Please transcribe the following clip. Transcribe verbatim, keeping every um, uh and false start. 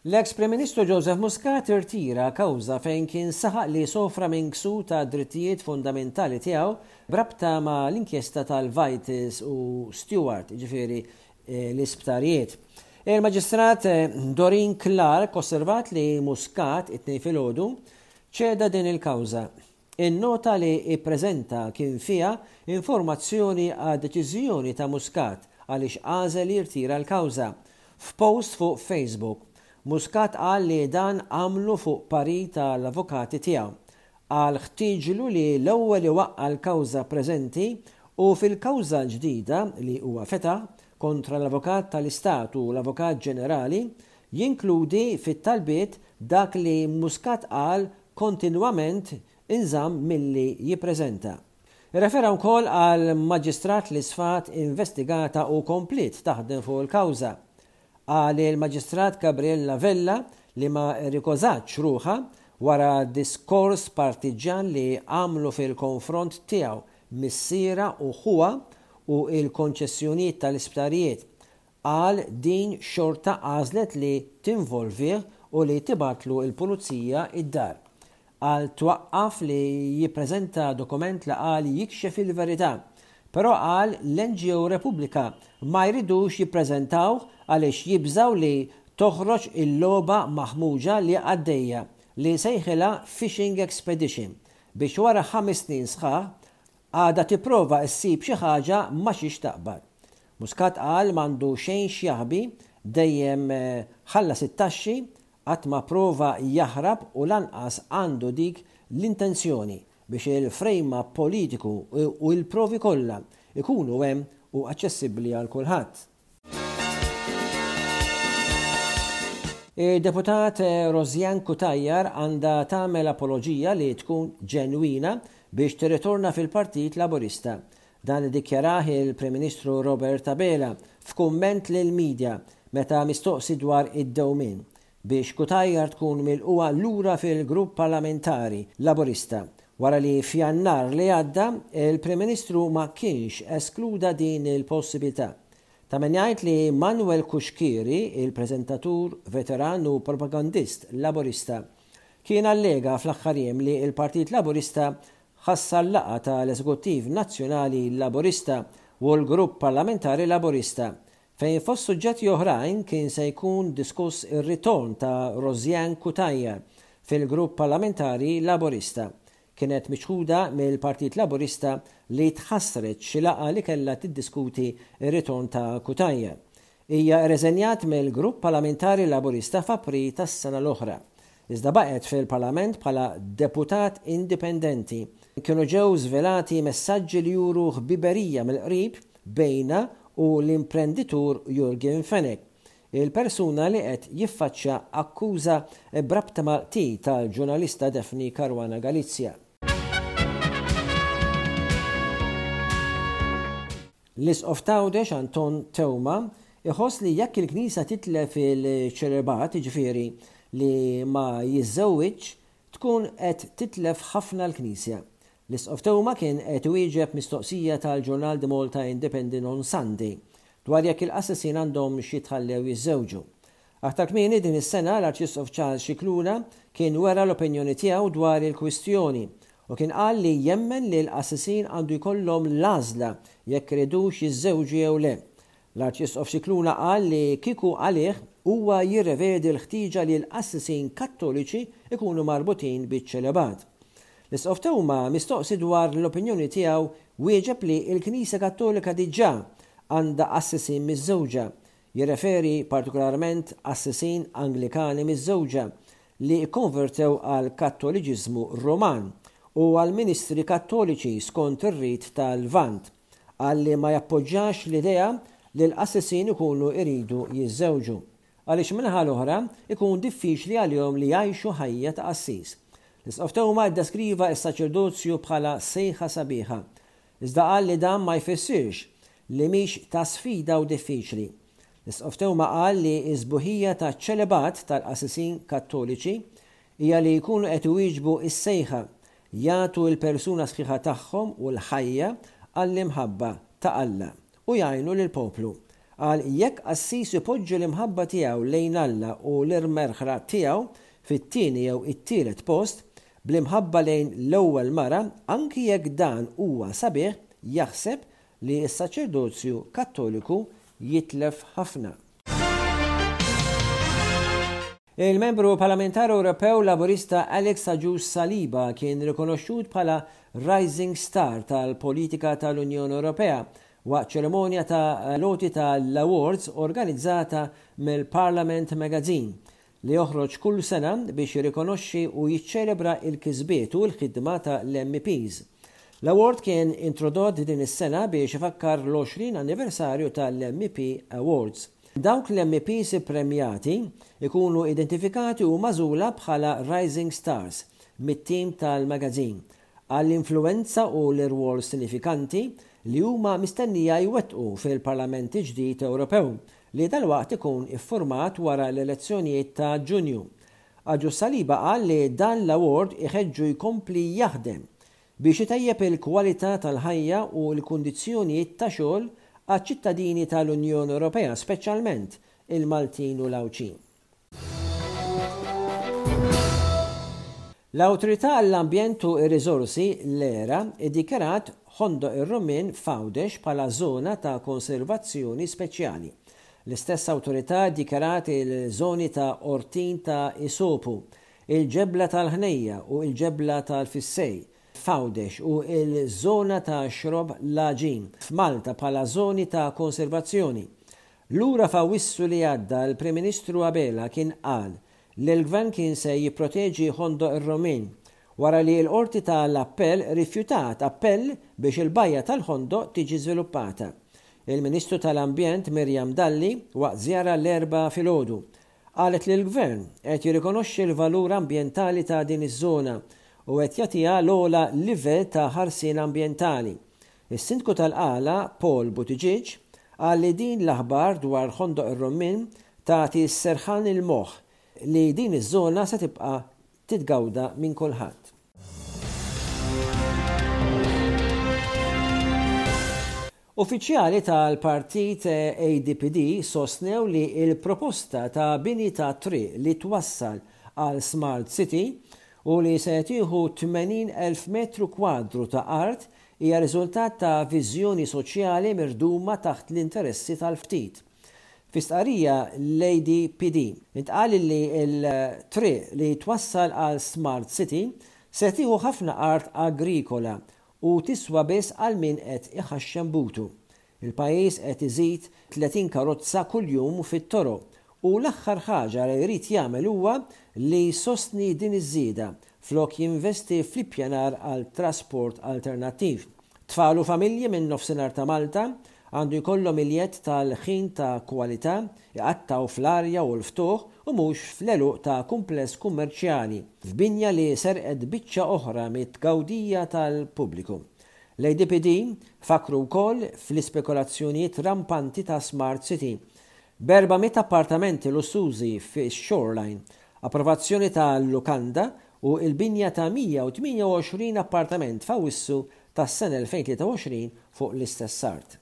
L-eks Prim Ministru Joseph Muscat irtira kawża fejn kien saħaq li sofra minn ksur ta' drittijiet fundamentali tiegħu b'rabta ma' l-inkjesta tal-Vitals u Steward, ġifieri eh, l-isptarijiet. Il-Maġistrat eh, Doreen Clarke osservat li Muscat it-Tnejn filgħodu ċeda din il-kawża. In-nota li ippreżenta kien fiha informazzjoni għad deċiżjoni ta' Muscat għaliex għażel jirtira l-kawża. F'post fuq Facebook, Muscat qal li dan għamlu fuq parir tal-avukati tiegħu. Qal ħtieġlu li l-ewwel iwaqqa' l-kawża preżenti u fil-kawża ġdida li huwa fetaħ kontra l-Avukat tal-Istat u l-Avukat Ġenerali jinkludi fit-talbiet dak li Muscat qal kontinwament inżamm milli jippreżenta. Irrefera wkoll għal maġistrat li sfat investigata u kompliet taħdem fuq il-kawża. Qal il-Maġistrat Gabriella Vella li ma rrikużatx ruħha wara diskors partiġjan li għamlu fil-konfront tiegħu missiera u ħuha u il-konċessjonijiet tal-isptarijiet. Qal din xorta għażlet li tinvolvih u li tibgħatlu il-pulizija id-dar. Qal twaqqaf li jippreżenta dokument li qal jikxef il-verità. Però qal l-N G O Repubblika ma jridux jippreżentaw għaliex jibżaw li toħroġ il-logħba maħmuġa li għaddejja li sejħilha Fishing Expedition biex wara ħames snin sħaħ għadha tipprova ssib xi ħaġa ma xiex taqbad. Muscat qal m'għandu xejn x'jaħbi, dejjem eh, ħallas it-taxxi, qatt ma prova jaħrab u lanqas għandu dik l-intenzjoni biex il-frame politiku u l-provi kollha ikunu hemm u aċċessibbli għal kulħadd. Il-deputat Rosianne Cutajar għandha tagħmel apoloġija li tkun ġenwina biex tirritorna fil-Partit Laburista. Dan iddikjarah il-Prim Ministru Robert Abela f'kumment lil-medja meta mistoqsi dwar id-dewmien biex Cutajar tkun milqugħa lura fil-grupp parlamentari Laburista wara li f'Jannar li għadda il-Prim Ministru ma kienx eskluda din il-possibilità. Ta' min jgħid li Manuel Cuschieri, il-preżentatur veteran u propagandist Laburista, kien allega fl-aħħar jiem li il-Partit Laburista ħassar laqgħa tal-Eżekuttiv Nazzjonali Laburista u l-Grupp Parlamentari Laburista fejn fost suġġetti oħrajn kien se jkun diskuss ir-ritorn ta' Rosianne Cutajar fil-Grupp Parlamentari Laburista. Kienet miċħuda mill-Partit Laburista li tħassret xi laqgħa li kellha tiddiskuti r-ritorn ta' Cutajar. Hija rreżenjat mill-Grupp Parlamentari Laburista f'April tas-sena l-oħra. Iżda baqgħet fil-Parlament bħala deputat indipendenti. Kienu ġew żvelati messaġġi li juru ħbiberija mill-qrib bejnha u l-imprenditur Yorgen Fenech, il-persuna li qed jiffaċċja akkuża b'rabta mal-qtil tal-ġurnalista Daphne Caruana Galizia. L-Isqof t'Għawdex Anton Teuma iħoss li jekk il-Knisja titlef il-ċelibat, jiġifieri li ma jiżżewwiġ, tkun qed titlef ħafna l-Knisja. L-Isqof Teuma kien qed iwieġeb mistoqsija tal-ġurnal The Malta Independent on Sunday dwar jekk il-qassisin għandhom jitħallew jiżżewġu. Aktar kmieni din is-sena l-Arċisqof Charles Scicluna kien wera l-opinjoni tiegħu dwar il-kwistjoni u kien qal li jemmen li l-qassisin għandu jkollhom l-għażla jekk iridux jiżżewġu jew le. L-Arċisqof Scicluna qal li kieku għalih huwa jirrevedi l-ħtieġa li l-qassisin kattoliċi ikunu marbutin biċ-ċelibat. L-Isqof Teuma mistoqsi dwar l-opinjoni tiegħu wieġeb li l-Knisja Kattolika diġà għandha qassisin miżżewġa, jirreferi partikolarment qassisin Anglikani miżżewġa li kkonvertew għal Kattoliċiżmu Roman u għal ministri kattoliċi skont ir-rit tal-Lvant, qal li ma jappoġġjax l-idea li l-qassisin ikunu iridu jiżżewġu, għaliex min-naħa l-oħra ikun diffiċli għalihom li jgħixu ħajja ta' qassis. L-Isqof Teuma ddeskriva s-saċerdozju bħala sejħa sabiħa, iżda qal li dan ma jfissirx li mhix ta' sfida u diffiċli. L-Isqof Teuma qal li s-sbuħija ta' ċelibat tal-qassisin kattoliċi hija li jkunu qed iwieġbu s-sejħa, jagħtu l-persuna sħiħa tagħhom u l-ħajja għall-imħabba ta' Alla u jgħinu lill-poplu. Qal jekk qassis ipoġġi l-imħabba tiegħu lejn Alla u l-merħla tiegħu fit-tieni jew it-tielet post, bl-imħabba lejn l-ewwel mara, anki jekk dan huwa sabiħ, jaħseb li s-saċerdozju Kattoliku jitlef ħafna. Il-membru parlamentari Ewropew Laburista Alex Agius Saliba kien rikonoxxut bħala Rising Star tal-politika tal-Unjoni Ewropea waqt ċerimonja ta' l-għoti tal-Awards organizzata mill-Parliament Magazine, li joħroġ kull sena biex jirrikonoxxi u jiċċelebra il-kisbiet u l-ħidma ta' l-M Ps. L-award kien introdott din is-sena biex ifakkar l-għoxrin anniversarju tal-M E P Awards. Dawk l-M E Ps premjati ikunu identifikati u magħżula bħala Rising Stars mit-tim tal-magazine għall-influenza u l-irwol sinifikanti li huma mistennija jwettqu fil-Parlament ġdid Ewropew li dalwaqt ikun iffurmat wara l-elezzjonijiet ta' Ġunju. Agius Saliba qal li dan l-award iħeġġu jkompli jaħdem biex itejjeb il-kwalità tal-ħajja u l-kundizzjonijiet ta' xogħol għaċ-ċittadini tal-Unjoni Ewropea, speċjalment il-Maltin u l-Għawdxin. L-Awtorità għall-Ambjent u r-Riżorsi, l-ERA, iddikjarat Ħondoq ir-Rummien f'Għawdex bħala żona ta' konservazzjoni speċjali. L-istess awtorità ddikjarat il-żoni ta' Ortin ta' Isopu, il-Ġebla tal-Ħnejja u il-Ġebla tal-Fissej f'Għawdex u il-żona ta' Xrobb l-Għaġin f'Malta bħala żoni ta' konservazzjoni. Lura f'Awissu li għadda, l-Prim Ministru Abela kien qal li l-gvern kien se jipproteġi Ħondoq ir-Rummien wara li l-qorti tal-appell rifjutat appell biex il-bajja tal-Ħondoq tiġi żviluppata. Il-Ministru tal-Ambjent Miriam Dalli, waqt żjara l-Erbgħa filgħodu, qalet li l-gvern qed jirrikonoxxi l-valur ambjentali ta' din iż-żona u qed jagħtiha l-ogħla livell ta' ħarsien ambjentali. Is-Sindku tal-Qala Paul Buttigieg qal li din l-aħbar dwar Ħondoq ir-Rummien tagħti serħan il-moħħ li din iż-żona se tibqa' titgawda minn kulħadd. Uffiċjali tal-partit A D P D sostnew li il-proposta ta' bini ta' triq li twassal għal Smart City u li se tieħu tmenin elf metru kwadru ta' art hija riżultat ta' viżjoni soċjali mirduma taħt l-interessi tal-ftit. Fi stqarrija l-A D P D intqal li l-triq li twassal għal Smart City se tieħu ħafna art agrikola u tiswa biss għal min qed iħaxxem butu. Il-pajjiż qed iżid tletin karozza kuljum fit-toroq u l-aħħar ħaġa li jrid jagħmel huwa li jsostni din iż-żieda flok jinvesti fl-ippjanar għal trasport alternattiv. Tfal u familji minn nofsinhar ta' Malta għandu jkollhom il-jedd tal-ħin ta' kwalità iqattaw fl-arja u l-ftuħ u mhux fl-għeluq ta' kumpless kummerċjali f'binja li serqet biċċa oħra mit-tgawdija tal-pubbliku. L-A D P D fakru wkoll fl-ispekulazzjonijiet rampanti ta' Smart City b'erba' mitt appartamenti lussużi fi Shoreline, approvazzjoni ta' lukanda u il-binja ta' mija u tmienja u għoxrin appartament f'Awissu tas-sena elfejn u tlieta u għoxrin fuq l-istess art.